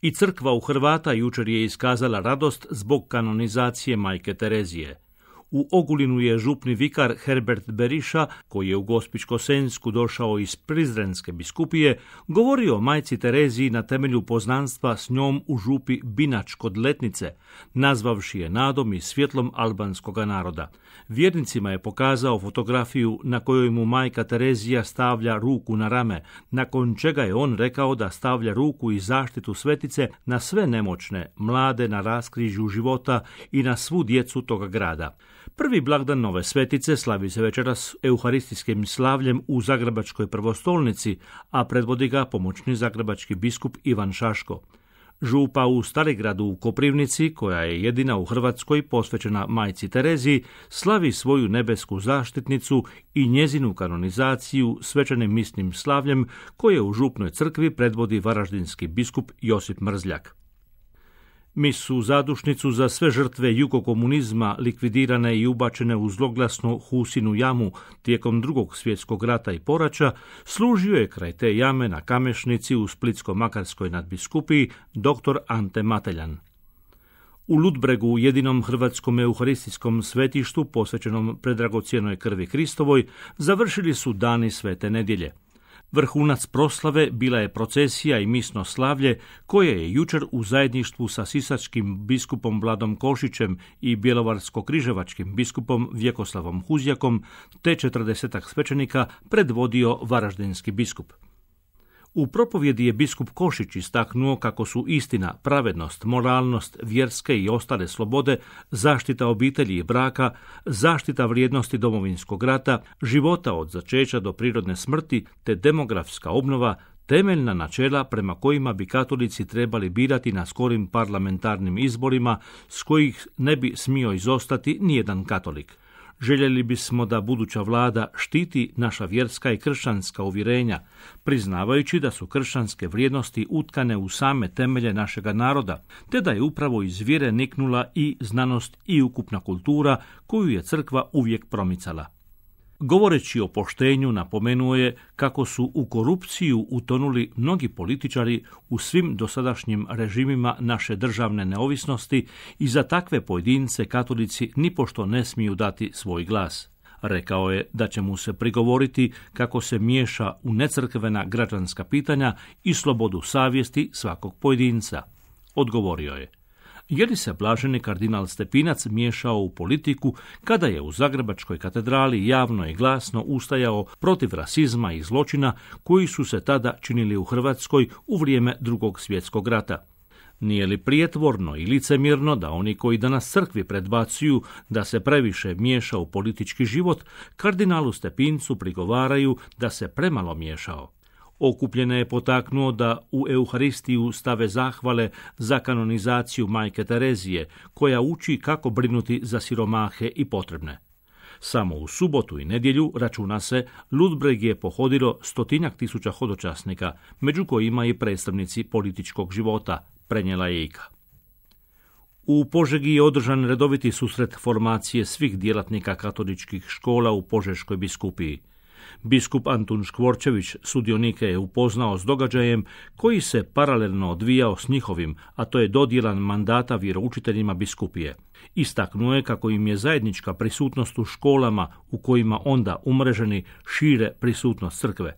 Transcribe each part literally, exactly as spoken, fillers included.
I crkva u Hrvata jučer je iskazala radost zbog kanonizacije majke Terezije. U Ogulinu je župni vikar Herbert Beriša, koji je u Gospićko-Senjsku došao iz Prizrenske biskupije, govorio o majci Tereziji na temelju poznanstva s njom u župi Binač kod Letnice, nazvavši je nadom i svjetlom albanskoga naroda. Vjernicima je pokazao fotografiju na kojoj mu majka Terezija stavlja ruku na rame, nakon čega je on rekao da stavlja ruku i zaštitu svetice na sve nemoćne, mlade na raskrižju života i na svu djecu toga grada. Prvi blagdan nove svetice slavi se večeras euharistijskim slavljem u Zagrebačkoj prvostolnici, a predvodi ga pomoćni zagrebački biskup Ivan Šaško. Župa u Starigradu u Koprivnici, koja je jedina u Hrvatskoj posvećena majci Tereziji, slavi svoju nebesku zaštitnicu i njezinu kanonizaciju svečanim misnim slavljem koje u župnoj crkvi predvodi varaždinski biskup Josip Mrzljak. Misu zadušnicu za sve žrtve jugokomunizma likvidirane i ubačene u zloglasnu Husinu jamu tijekom drugog svjetskog rata i poraća, služio je kraj te jame na Kamešnici u Splitsko-Makarskoj nadbiskupiji dr. Ante Mateljan. U Ludbregu, jedinom hrvatskom euharistijskom svetištu posvećenom predragocjenoj krvi Kristovoj, završili su dani Svete nedjelje. Vrhunac proslave bila je procesija i misno slavlje koje je jučer u zajedništvu sa sisačkim biskupom Vladom Košićem i bjelovarsko-križevačkim biskupom Vjekoslavom Huzjakom te četrdesetak svećenika predvodio varaždinski biskup. U propovjedi je biskup Košić istaknuo kako su istina, pravednost, moralnost, vjerske i ostale slobode, zaštita obitelji i braka, zaštita vrijednosti Domovinskog rata, života od začeća do prirodne smrti te demografska obnova temeljna načela prema kojima bi katolici trebali birati na skorim parlamentarnim izborima s kojih ne bi smio izostati nijedan katolik. Željeli bismo da buduća vlada štiti naša vjerska i kršćanska uvjerenja, priznavajući da su kršćanske vrijednosti utkane u same temelje našega naroda, te da je upravo iz vjere niknula i znanost i ukupna kultura koju je crkva uvijek promicala. Govoreći o poštenju, napomenuo je kako su u korupciju utonuli mnogi političari u svim dosadašnjim režimima naše državne neovisnosti i za takve pojedince katolici nipošto ne smiju dati svoj glas. Rekao je da će mu se prigovoriti kako se miješa u necrkvena građanska pitanja i slobodu savjesti svakog pojedinca. Odgovorio je: je li se blaženi kardinal Stepinac miješao u politiku kada je u Zagrebačkoj katedrali javno i glasno ustajao protiv rasizma i zločina koji su se tada činili u Hrvatskoj u vrijeme drugog svjetskog rata? Nije li prijetvorno i licemjerno da oni koji danas crkvi predbacuju da se previše miješa u politički život, kardinalu Stepincu prigovaraju da se premalo miješao? Okupljene je potaknuo da u Euharistiju stave zahvale za kanonizaciju majke Terezije, koja uči kako brinuti za siromahe i potrebne. Samo u subotu i nedjelju, računa se, Ludbreg je pohodilo stotinjak tisuća hodočasnika, među kojima i predstavnici političkog života, prenijela je Ika. U Požegi je održan redoviti susret formacije svih djelatnika katoličkih škola u Požeškoj biskupiji. Biskup Antun Škvorčević sudionike je upoznao s događajem koji se paralelno odvijao s njihovim, a to je dodjelan mandata vjeroučiteljima biskupije. Istaknuo je kako im je zajednička prisutnost u školama u kojima onda umreženi šire prisutnost crkve.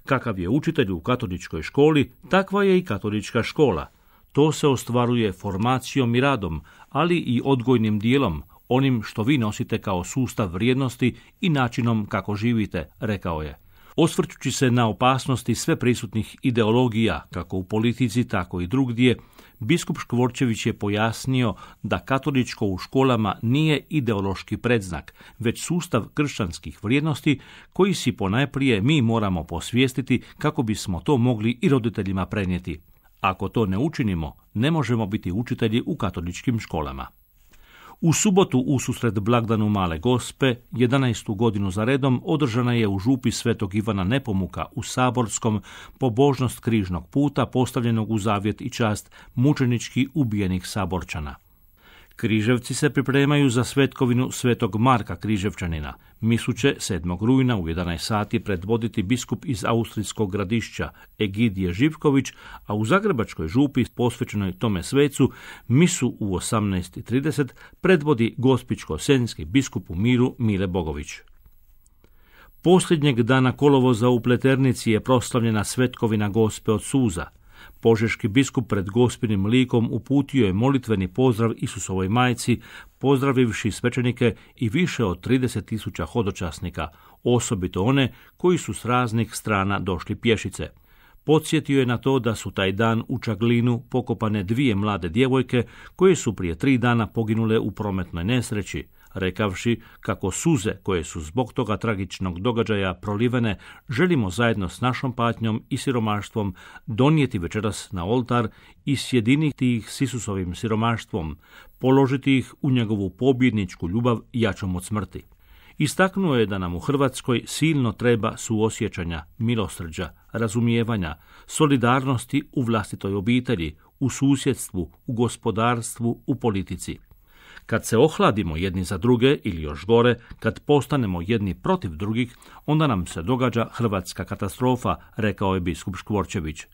Kakav je učitelj u katoličkoj školi, takva je i katolička škola. To se ostvaruje formacijom i radom, ali i odgojnim dijelom, onim što vi nosite kao sustav vrijednosti i načinom kako živite, rekao je. Osvrćući se na opasnosti sve prisutnih ideologija, kako u politici, tako i drugdje, biskup Škvorčević je pojasnio da katoličko u školama nije ideološki predznak, već sustav kršćanskih vrijednosti koji si ponajprije mi moramo posvijestiti kako bismo to mogli i roditeljima prenijeti. Ako to ne učinimo, ne možemo biti učitelji u katoličkim školama. U subotu ususret blagdanu Male Gospe, jedanaestu godinu za redom, održana je u župi Svetog Ivana Nepomuka u Saborskom pobožnost križnog puta postavljenog u zavjet i čast mučenički ubijenih Saborčana. Križevci se pripremaju za svetkovinu Svetog Marka Križevčanina. Misu će sedmog rujna u jedanaest sati predvoditi biskup iz austrijskog Gradišća Egidije Živković, a u Zagrebačkoj župi posvećenoj tome svecu misu u osamnaest trideset predvodi gospićko-senjski biskup u Miru Mile Bogović. Posljednjeg dana kolovoza u Pleternici je proslavljena svetkovina Gospe od suza. Požeški biskup pred gospinim likom uputio je molitveni pozdrav Isusovoj majci, pozdravivši svećenike i više od trideset tisuća hodočasnika, osobito one koji su s raznih strana došli pješice. Podsjetio je na to da su taj dan u Čaglinu pokopane dvije mlade djevojke koje su prije tri dana poginule u prometnoj nesreći, rekavši kako suze koje su zbog toga tragičnog događaja prolivene želimo zajedno s našom patnjom i siromaštvom donijeti večeras na oltar i sjediniti ih s Isusovim siromaštvom, položiti ih u njegovu pobjedničku ljubav jačom od smrti. Istaknuo je da nam u Hrvatskoj silno treba suosjećanja, milosrđa, razumijevanja, solidarnosti u vlastitoj obitelji, u susjedstvu, u gospodarstvu, u politici. Kad se ohladimo jedni za druge ili još gore, kad postanemo jedni protiv drugih, onda nam se događa hrvatska katastrofa, rekao je biskup Škvorčević.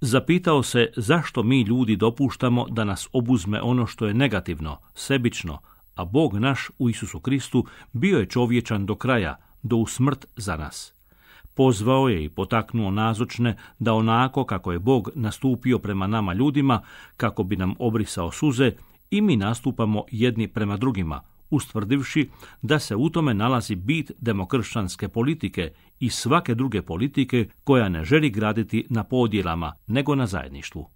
Zapitao se zašto mi ljudi dopuštamo da nas obuzme ono što je negativno, sebično, a Bog naš u Isusu Kristu bio je čovječan do kraja, do u smrt za nas. Pozvao je i potaknuo nazočne da onako kako je Bog nastupio prema nama ljudima, kako bi nam obrisao suze, i mi nastupamo jedni prema drugima, ustvrdivši da se u tome nalazi bit demokršćanske politike i svake druge politike koja ne želi graditi na podjelama, nego na zajedništvu.